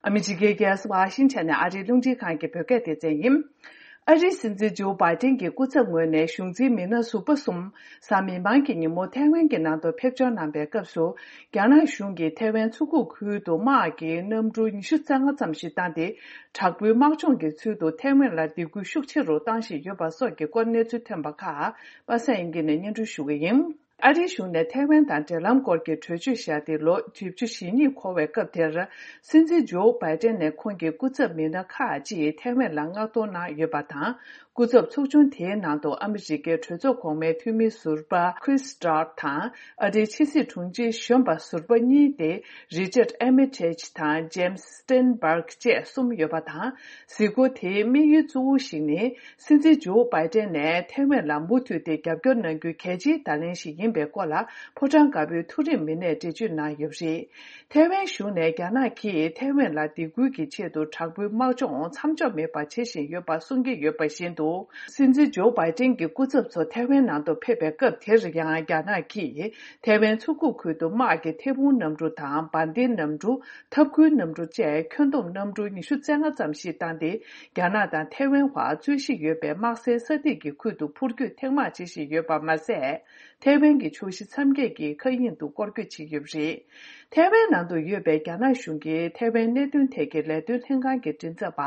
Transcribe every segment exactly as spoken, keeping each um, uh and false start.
ཨ་མི་རི་ཀའི་རྒྱལ་ས་ཝ་ཤིང་ཊོན་ནས་ཨ་རིའི་རླུང་འཕྲིན་ཁང་གི་བོད་སྐད་སྡེ་ཚན་ཡིན། ཨ་རིའི་སྲིད་འཛིན་ཇོ་བྷའི་ཏན་གྱི་སྐུ་ཚབ་ངོས་ནས་གཞུང་འཛིན་མི་སྣ་ཟུར་པ་གསུམ་གཟའ་མིག་དམར་གྱི་ཉིན་མོ་ཐའེ་ཝན་གྱི་ནང་དུ་ཕེབས་འབྱོར་གནང་པའི་སྐབས་སུ། རྒྱ་ནག་གཞུང་གིས་ཐའེ་ཝན་མཚོ་ཁུག་ཁུལ་དུ་དམག་གི་གནམ་གྲུ་ཉི་ཤུ་རྩ་ལྔ་ཙམ་ཞིག་བཏང་སྟེ། དྲག་པོའི་དམག་སྦྱོང་གི་ཚུལ་དུ་ཐའེ་ཝན་ལ་སྡིགས་སྐུལ་ཤུགས་ཆེ་རུ་བཏང་བཞིན་ཡོད་པ་སོགས་ཀྱི་སྐོར་གནས་ཚུལ་ཐོན་པ་ཁག་པ་སངས་དབྱངས་སྐྱིད་ནས་སྙན་སྒྲོན་ཞུ་གི་ཡིན། ཨ་རིའི་གཞུང་ནས་ཐའེ་ཝན་དང་འབྲེལ་ལམ་སྐོར་གྱི་གྲོས་ཆོད་བཞག་སྟེ་ལོ་བཞི་བཅུ་ཞེ་གཉིས་འཁོར་བའི་སྐབས་དེར། སྲིད་འཛིན་ཇོ་བྷའི་ཏན་ནས་ཁོང་གི་སྐུ་ཚབ་མི་སྣ་ཁག་ཅིག་ཐའེ་ཝན་ལ་མངགས་གཏོང་གནང་ཡོད་པ་དང་། སྐུ་ཚབ་ཚོགས་ཆུང་དེའི་ནང་དུ་ཨ་མི་རི་ཀའི་གྲོས་ཚོགས་གོང་མའི་འཐུས་མི་ཟུར་པ་Chris Dodd དང་། ཨ་རིའི་ཕྱི་སྲིད་དྲུང་ཆེ་གཞོན་པ་ཟུར་པ་གཉིས་ཏེ། Richard Armitage དང་James Steinberg བཅས་གསུམ་ཡོད་པ་དང་། གཟིགས་སྐོར་དེའི་དམིགས་ཡུལ་གཙོ་བོ་ཞིག་ནི། སྲིད་འཛིན་ཇོ་བྷའི་ཏན་ནས་ཐའེ་ཝན་ལ་མུ་མཐུད་དེ་རྒྱབ་སྐྱོར་གནང་རྒྱུའི་གལ་ཆེའི་བརྡ་ལན་ཞིག་ཡིན་པའི་སྐོར་ལ་ཕོ་བྲང་དཀར་པོའི་མཐོ་རིམ་མི་སྣས་འགྲེལ་བརྗོད་གནང་ཡོད་པ་རེད། ཐའེ་ཝན་གཞུང་ནས་རྒྱ་ནག་གིས་ཐའེ་ཝན་ལ་སྡིགས་སྐུལ་གྱི་ཆེད་དུ་དྲག་པོའི་དམག་སྦྱོང་མཚམས་འཇོག་མེད་པར་བྱེད་བཞིན་ཡོད་པ་གསུང་གི་ཡོད་པ་བཞིན་དུ། སྲིད་འཛིན་ཇོ་བྷའི་ཏན་གྱི་སྐུ་ཚབ་ཚོ་ཐའེ་ཝན་ནང་དུ་ཕེབས་པའི་སྐབས་དེར་ཡང་རྒྱ་ནག་གིས་ཐའེ་ཝན་མཚོ་ཁུག་ཁུལ་དུ་དམག་གི་ཐད་འཕུར་གནམ་གྲུ་དང་འབར་མདེལ་གནམ་གྲུ། འཐབ་ཁུལ་གནམ་གྲུ་བཅས་ཁྱོན་བསྡོམས་གནམ་གྲུ་ཉི་ཤུ་རྩ་ལྔ་ཙམ་ཞིག་བཏང་སྟེ། རྒྱ་ནག་དང་ཐའེ་ཝན་བར་རྩོད་གཞི་ཡོད་པའི་དམག་སའི་ས་ཐིག་གི་ཁུལ་དུ་འཕུར་སྐྱོད་ཐེངས་མང་བྱེད་བཞིན་ཡོད་པ་མ་ཟད། ཐའེ་ཝན་གྱི་ཕྱོགས་བཞི་མཚམས་བརྒྱད་ཀྱི་མཁའ་དབྱིངས་དུ་སྐོར་སྐྱོད་བྱེད་ཀྱི་ཡོད་པ་རེད། ཐའེ་ཝན་ནང་དུ་ཡོད་པའི་རྒྱ་ནག་གཞུང་གིས་ཐའེ་ཝན་གནད་དོན་ཐད་ཀྱི་ལས་དོན་ལྷན་ཁང་གི་མགྲིན་ཚབ་པ་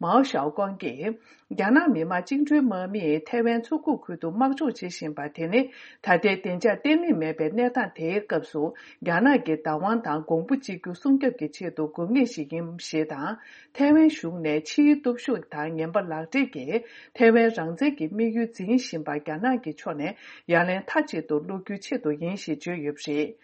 མའོ་ཞའོ་ཀོང་གིས། རྒྱ་ནག་མི་དམངས་བཅིངས་འགྲོལ་དམག་མིས་ཐའེ་ཝན་མཚོ་ཁུག་ཁུལ་དུ་དམག་སྦྱོང་བྱེད་བཞིན་པ་དེ་ནི། ད་ལྟའི་བདེ་འཇགས་བརྟན་ལྷིང་མེད་པའི་གནས་སྟངས་དེའི་སྐབས་སུ། རྒྱ་ནག་གི་བདག་དབང་དང་གོང་བུ་གཅིག་གྱུར་སྲུང་སྐྱོབ་ཀྱི་ཆེད་དུ་དགོས་ངེས་ཤིག་ཡིན་ཞེས་དང་། ཐའེ་ཝན་གཞུང་ནས་ཕྱིའི་སྟོབས་ཤུགས་དང་ངན་པ་ལག་སྦྲེལ་གྱིས་ཐའེ་ཝན་རང་བཙན་གྱི་དམིགས་ཡུལ་འཛིན་བཞིན་པ་རྒྱ་ནག་གི་ཕྱོགས་ནས་ཡ་ལན་མཐའ་གཅིག་ཏུ་སློག་རྒྱུའི་ཆེད་དུ་ཡིན་ཞེས་བརྗོད་ཡོད་པ་རེད།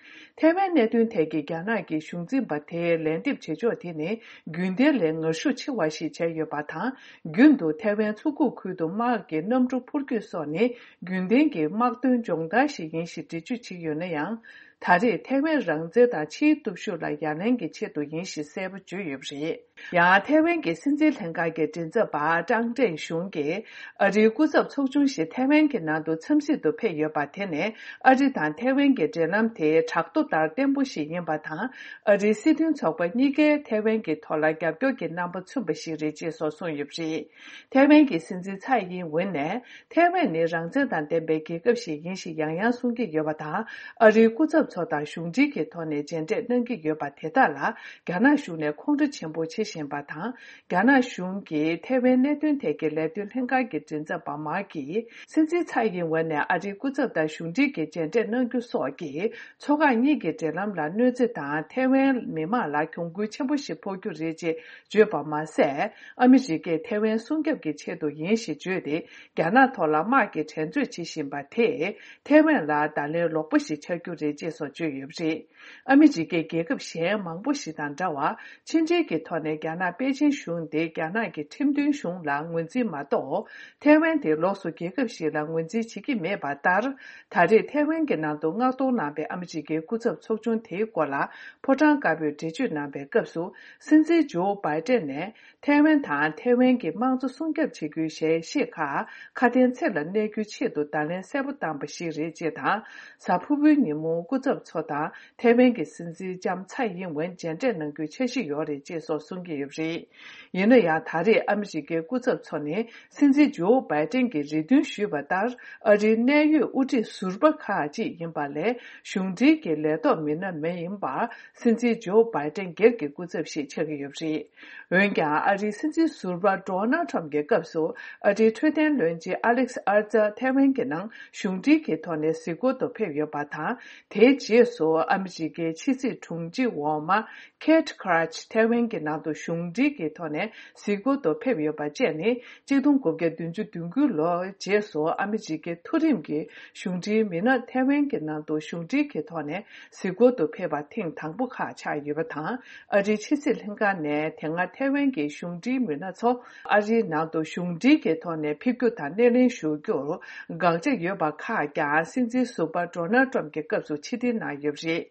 ཐའེ་ཝན་གནད་དོན་ཐད་ཀྱི་རྒྱ་ནག་གི་གཞུང་འཛིན་པ་དེས་ལན་འདེབས་བྱེད་ཕྱོགས་དེ་ནི་རྒྱུན་ལྡན་ལས་ངར་ཤུགས་ཆེ་བ་ཞིག་བྱས་ཡོད་པ་དང་། རྒྱུན་དུ་ཐའེ་ཝན་མཚོ་ཁུག་ཁུལ་དུ་དམག་གི་གནམ་གྲུ་འཕུར་སྐྱོད་སོགས་ནི་རྒྱུན་ལྡན་གྱི་དམག་དོན་སྦྱོང་བརྡར་ཞིག་ཡིན་ཞེས་འགྲེལ་བརྗོད་བྱས་ཡོད་ན་ཡང་། ད་རེས་ཐའེ་ཝན་རང་བཙན་དང་ཕྱིའི་སྟོབས་ཤུགས་ལ་ཡ་ལན་གྱི་ཆེད་དུ་ཡིན་ཞེས་གསལ་པོ་བརྗོད་ཡོད་པ་རེད། ཡང་ཐའེ་ཝན་གྱི་སྲིད་འཛིན་ལྷན་ཁང་གི་མགྲིན་ཚབ་པ་ཀྲང་ཀྲེང་ཞུང་གིས། ཨ་རིའི་སྐུ་ཚབ་ཚོགས་ཆུང་ཞིག་ཐའེ་ཝན་གྱི་ནང་དུ་འཚམས་གཟིགས་དུ་ཕེབས་ཡོད་པ་དེ་ནི། ཨ་རི་དང་ཐའེ་ཝན་གྱི་འབྲེལ་ལམ་དེ་བྲག་རྡོ་ལྟར་བརྟན་པོ་ཞིག་ཡིན་པ་དང་། ཨ་རིའི་སྲིད་དོན་ཚོགས་པ་གཉིས་ཀས་ཐའེ་ཝན་གྱི་ཐོག་ལ་རྒྱབ་སྐྱོར་གྱི་རྣམ་པ་མཚོན་པ་ཞིག་རེད་ཅེས་སོགས་གསུངས་ཡོད་པ་རེད། ཐའེ་ཝན་གྱི་སྲིད་འཛིན་ཚའེ་ཡིན་ཝེན་ནས། ཐའེ་ཝན་ནི་རང་བཙན་དང་ལྡན་པའི་རྒྱལ་ཁབ་ཞིག་ཡིན་ཞེས་ཡང་ཡང་གསུང་གི་ཡོད་པ་དང་། ཨ་རིའི་སྐུ་ཚབ་ཚོ་དང་གཞུང་འབྲེལ་གྱི་ཐོག་ནས་མཇལ་འཕྲད་གནང་གི་ཡོད་པ་དེ་དག་ལ། རྒྱ་ནག་གཞུང་ནས་ཁོང་ཁྲོ་ཆེན་པོ་བྱེད་བཞིན་པ་དང་། རྒྱ་ནག་གཞུང་གིས་ཐའེ་ཝན་གནད་དོན་ཐད་ཀྱི་ལས་དོན་ལྷན་ཁང་གི་མགྲིན་ཚབ་པ་མཱ་ཀིས། སྲིད་འཛིན་ཚའེ་ཡིན་ཝེན་ནས་ཨ་རིའི་སྐུ་ཚབ་དང་གཞུང་འབྲེལ་གྱི་མཇལ་འཕྲད་གནང་རྒྱུ་སོགས་ཀྱིས། མཚོ་འགག་གཉིས་ཀྱི་འབྲེལ་ལམ་ལ་གནོད་འཚེ་དང་། ཐའེ་ཝན་མི་མང་ལ་གྱོང་གུན་ཆེན་པོ་ཞིག་ཕོག་རྒྱུ་རེད་ཅེས་བརྗོད་པ་མ་ཟད། ཨ་མི་རི་ཀས་ཐའེ་ཝན་སྲུང་སྐྱོབ་ཀྱི་ཆེད་དུ་ཡིན་ཞེས་བརྗོད་དེ། རྒྱ་ནག་ཐོག་ལ་དམག་གི་འགྲན་རྩོད་བྱེད་བཞིན་པ་དེས། ཐའེ་ཝན་ལ་བརྡ་ལན་ལོག་པ་ཞིག་ཆགས་རྒྱུ་རེད་ཅེས་སོགས་བརྗོད་ཡོད་པ་རེད། ཨ་མི་རི་ཀས་རྒྱལ་ཁབ་གཞན་མང་པོ་ཞིག་དང་འདྲ་བར། ཕྱི་འབྲེལ་གྱི་ཐོག་ནས་རྒྱ་ནག་པེ་ཅིན་གཞུང་དེ་རྒྱ་ནག་གི་ཁྲིམས་མཐུན་གཞུང་ལ་ངོས་འཛིན་མ་གཏོགས། ཐའེ་ཝན་དེ་ལོགས་སུ་རྒྱལ་ཁབ་ཞིག་ལ་ངོས་འཛིན་བྱེད་ཀྱི་མེད་པ་ལྟར། ད་རེས་ཐའེ་ཝན་གྱི་ནང་དུ་མངགས་གཏོང་གནང་པའི་ཨ་མི་རི་ཀའི་སྐུ་ཚབ་ཚོགས་ཆུང་དེའི་སྐོར་ལ་ཕོ་བྲང་དཀར་པོས་འགྲེལ་བརྗོད་གནང་པའི་སྐབས་སུ། སྲིད་འཛིན་ཇོ་བྷའི་ཏན་ནས། ཐའེ་ཝན་དང་ཐའེ་ཝན་གྱི་དམངས་གཙོ་སྲུང་སྐྱོབ་བྱེད་རྒྱུའི་ཞལ་བཞེས་ཁག་ཁ་དན་ཚིག་ལ་གནས་རྒྱུའི་ཆེད་དུ་བརྡ་ལན་གསལ་པོ་བཏང་པ་ཞིག་རེད་ཅེས་དང་། གཟའ་ཕུར་བུའི་ཉིན་མོ་སྐུ་ཚབ་ཚོ་དང་ཐའེ་ཝན་གྱི་སྲིད་འཛིན་ལྕམ་ཚའེ་ཡིན་ཝེན་མཇལ་འཕྲད་གནང་རྒྱུའི་འཆར་གཞི་ཡོད་རེད་ཅེས་སོགས་གསུང་གི་ཡོད་པ་རེད། ཡིན་ན་ཡང་། ད་རེས་ཨ་མི་རི་ཀའི་སྐུ་ཚབ་ཚོ་ནི་སྲིད་འཛིན་ཇོ་བྷའི་ཏན་གྱིས་རེ་འདུན་ཞུས་པ་ལྟར། ཨ་རིའི་གནད་ཡོད་དབུ་ཁྲིད་ཟུར་པ་ཁག་ཅིག་ཡིན་པ་ལས། གཞུང་འབྲེལ་གྱི་ལས་ཐོག་མི་སྣ་མ་ཡིན་པར། སྲིད་འཛིན་ཇོ་བྷའི་ཏན་སྒེར་གྱི་སྐུ་ཚབ་ཞིག་ཆགས་ཀྱི་ཡོད་པ་རེད། འོན་ཀྱང་། ཨ་རིའི་སྲིད་འཛིན་ཟུར་པ་ཌོ་ནལ་ཊམ་གྱི་སྐབས་སུ། ཨ་རིའི་འཕྲོད་བསྟེན་བློན་ཆེན་ཨ་ལེག་སི་ཨར་ཙར་ཐའེ་ཝན་གྱི་ནང་གཞུང་འབྲེལ་གྱི་ཐོག་ནས་གཟིགས་སྐོར་དུ་ཕེབས་ཡོད་པ་དང་། དེའི་རྗེས་སུ་ཨ་མི་རི་ཀའི་ཕྱི་སྲིད་དྲུང་ཆེ་འོག་མ་ཁེ་ཊི་ཁ་ར་ཆི་ཐའེ་ཝན་གྱི་ནང་དུ་གཞུང་འབྲེལ་གྱི་ཐོག་ནས་གཟིགས་སྐོར་དུ་ཕེབས་ཡོད་པ་བཅས་ནི། གཅིག་སྟོང་དགུ་བརྒྱ་བདུན་ཅུ་དོན་དགུ་ལོར་རྗེས་སུ་ཨ་མི་རི་ཀའི་མཐོ་རིམ་གྱི་གཞུང་འབྲེལ་མི་སྣ་ཐའེ་ཝན་གྱི་ནང་དུ་གཞུང་འབྲེལ་གྱི་ཐོག་ནས་གཟིགས་སྐོར་དུ་ཕེབས་པ་ཐེངས་དང་པོ་ཁག་ཆགས་ཡོད་པ་དང་། ཨ་རིའི་ཕྱི་སྲིད་ལྷན་ཁང་ནས་དེ་སྔ་ཐའེ་ཝན་གྱི་གཞུང་འབྲེལ་མི་སྣ་ཚོ་ཨ་རིའི་ནང་དུ་གཞུང་འབྲེལ་གྱི་ཐོག་ནས་ཕེབས་རྒྱུ་དང་སྣེ་ལེན་ཞུ་རྒྱུར་དགག་བྱ་ཡོད་པ་ཁག་ཀྱང་། སྲིད་འཛིན་ཟུར་པ་ཌོ་ནལ་ཊམ་གྱི་སྐབས་སུ་ཕྱིར་འཐེན་གནང་ཡོད་པ་རེད།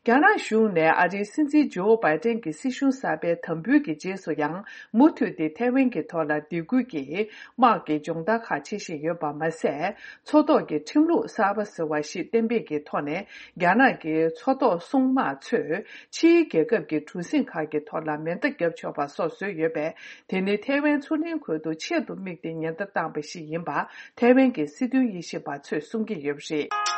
རྒྱ་ནག་གཞུང་ནས་ཨ་རིའི་སྲིད་འཛིན་ཇོ་བྷའི་ཏན་གྱི་སྲིད་གཞུང་གསར་པའི་དམ་འབུལ་གྱི་རྗེས་སུ་ཡང་མུ་མཐུད་དེ་ཐའེ་ཝན་གྱི་ཐོག་ལ་སྡིགས་སྐུལ་གྱིས་དམག་གི་སྦྱོང་བརྡར་ཁག་བྱེད་བཞིན་ཡོད་པ་མ་ཟད། མཚོ་ཐོག་གི་ཁྲིམས་ལུགས་གསར་པ་ཟེར་བ་ཞིག་གཏན་འབེབས་ཀྱི་ཐོག་ནས་རྒྱ་ནག་གི་མཚོ་ཐོག་སྲུང་དམག་ཚོས་ཕྱིའི་རྒྱལ་ཁབ་ཀྱི་གྲུ་གཟིངས་ཁག་གི་ཐོག་ལ་མེ་མདའ་བརྒྱབ་ཆོག་པ་སོགས་བཟོས་ཡོད་པས། དེ་ནི་ཐའེ་ཝན་མཚོ་གླིང་ཁུལ་དུ་ཆེད་དུ་དམིགས་ཏེ་ཉེན་བརྡ་བཏང་པ་ཞིག་ཡིན་པ་ཐའེ་ཝན་གྱི་སྲིད་དོན་དབྱེ་ཞིབ་པ་ཚོས་གསུང་གི་ཡོད་པ་རེད།